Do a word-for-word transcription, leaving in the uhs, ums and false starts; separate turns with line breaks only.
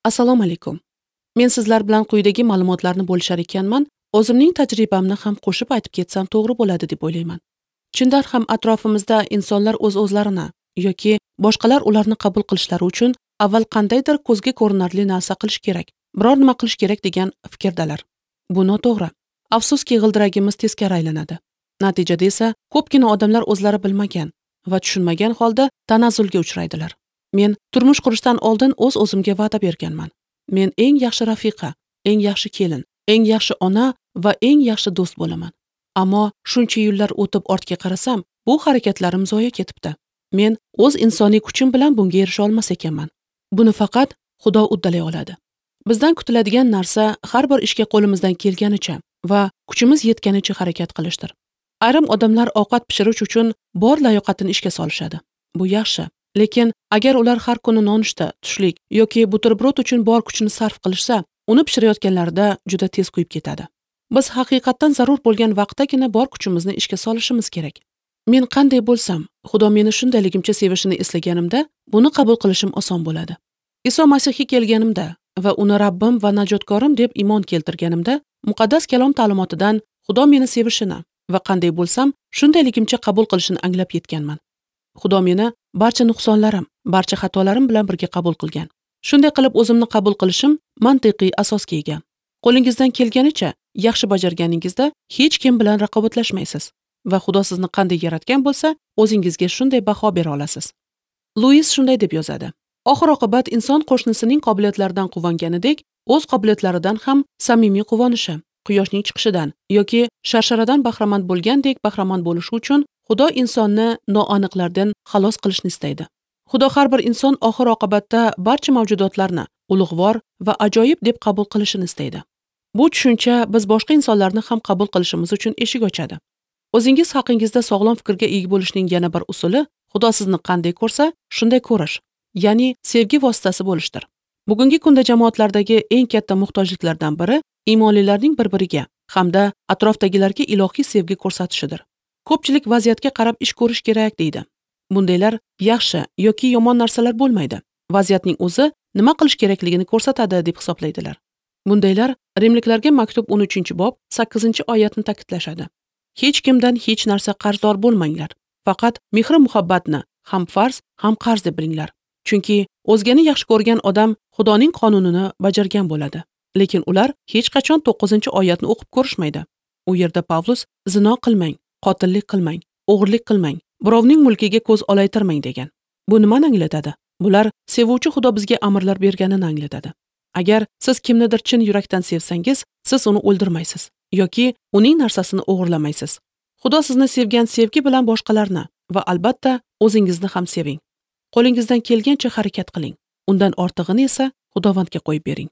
Assalomu alaykum. Men sizlar bilan quyidagi ma'lumotlarni bo'lishar ekanman, o'zimning tajribamni ham qo'shib aytib ketsam to'g'ri bo'ladi deb o'ylayman. Chindan ham atrofimizda insonlar o'z-o'zlarini yoki boshqalar ularni qabul qilishlari uchun avval qandaydir ko'zga ko'rinarli narsa qilish kerak, biror nima qilish kerak degan fikrdalar. Bu noto'g'ri. Afsuski, g'ildiragimiz teskari aylanadi. Natijada esa ko'pgina odamlar o'zlari bilmagan va tushunmagan holda tanazzulga uchraydilar. Men turmush qurishdan oldin o'z-o'zimga va'da berganman. Men eng yaxshi rafiqa, eng yaxshi kelin, eng yaxshi ona va eng yaxshi do'st bo'laman. Ammo shuncha yillar o'tib ortga qarasam, bu harakatlarim zoya ketibdi. Men o'z insoniy kuchim bilan bunga erisha olmas ekanman. Buni faqat Xudo uddalay oladi. Bizdan kutiladigan narsa har bir ishga qo'limizdan kelganicha va kuchimiz yetganicha harakat qilishdir. Ayrim odamlar ovqat pishirish uchun bor layoqatini ishga solishadi. Bu yaxshi. Lekin agar ular har kuni nonushta, tushlik yoki buterbrod uchun bor kuchini sarf qilishsa, uni pishirayotganlarida juda tez kuyib ketadi. Biz haqiqatdan zarur bo'lgan vaqtdagina bor kuchimizni ishga solishimiz kerak. Men qanday bo'lsam, Xudo meni shundayligimcha sevishini eslaganimda, buni qabul qilishim oson bo'ladi. Iso Masihga kelganimda va uni Rabbim va najotkorim deb iymon keltirganimda, muqaddas kalom ta'limotidan Xudo meni sevishini va qanday bo'lsam, shundayligimcha qabul qilishini anglab yetganman. Xudo meni barcha nuqsonlarim, barcha xatolarim bilan birga qabul qilgan. Shunday qilib o'zimni qabul qilishim mantiqiy asosga ega. Qo'lingizdan kelganicha yaxshi bajarganingizda hech kim bilan raqobatlashmaysiz va Xudo sizni qanday yaratgan bo'lsa, o'zingizga shunday baho bera olasiz. Luis shunday deb yozadi: Oxir oqibat inson qo'shnisining qobiliyatlaridan quvonganidek, o'z qobiliyatlaridan ham samimiy quvonishi, quyoshning chiqishidan yoki sharsharadan bahramand bo'lgandek bahramand bo'lishi uchun Xudo insonni noaniqlardan xalos qilishni istaydi. Xudo har bir inson oxir oqibatda barcha mavjudotlarni ulug'vor va ajoyib deb qabul qilishini istaydi. Bu tushuncha biz boshqa insonlarni ham qabul qilishimiz uchun eshik ochadi. O'zingiz haqingizda sog'lom fikrga ega bo'lishning yana bir usuli Xudo sizni qanday ko'rsa, shunday ko'rish, ya'ni sevgi vositasi bo'lishdir. Bugungi kunda jamoatlardagi eng katta muhtojliklardan biri iymonlilarning bir-biriga hamda atrofdagilarga ilohiy sevgi ko'rsatishidir. Ko'pchilik vaziyatga qarab ish ko'rish kerak deydi. Bundaylar yaxshi yoki yomon narsalar bo'lmaydi. Vaziyatning o'zi nima qilish kerakligini ko'rsatadi deb hisoblaydilar. Bundaylar Rimliklarga maktub o'n uchinchi bob sakkizinchi oyatni ta'kidlashadi. Hech kimdan hech narsa qarzdor bo'lmanglar. Faqat mehr-muhabbatni ham farz, ham qarz deb bilinglar. Chunki o'zgani yaxshi ko'rgan odam Xudoning qonunini bajargan bo'ladi. Lekin ular hech qachon to'qqizinchi oyatni o'qib ko'rishmaydi. U yerda Pavlus zino qilmang, qotillik qilmang, o'g'irlik qilmang, birovning mulkiga ko'z olaytirmang degan. Bu nimani anglatadi? Bular sevuvchi Xudo bizga amrlar berganini anglatadi. Agar siz kimnidir chin yurakdan sevsangiz, siz uni o'ldirmaysiz yoki uning narsasini o'g'irlamaysiz. Xudo sizni sevgan sevgi bilan boshqalarni va albatta o'zingizni ham seving. Qo'lingizdan kelgancha harakat qiling. Undan ortig'ini esa Xudovandga qo'yib bering.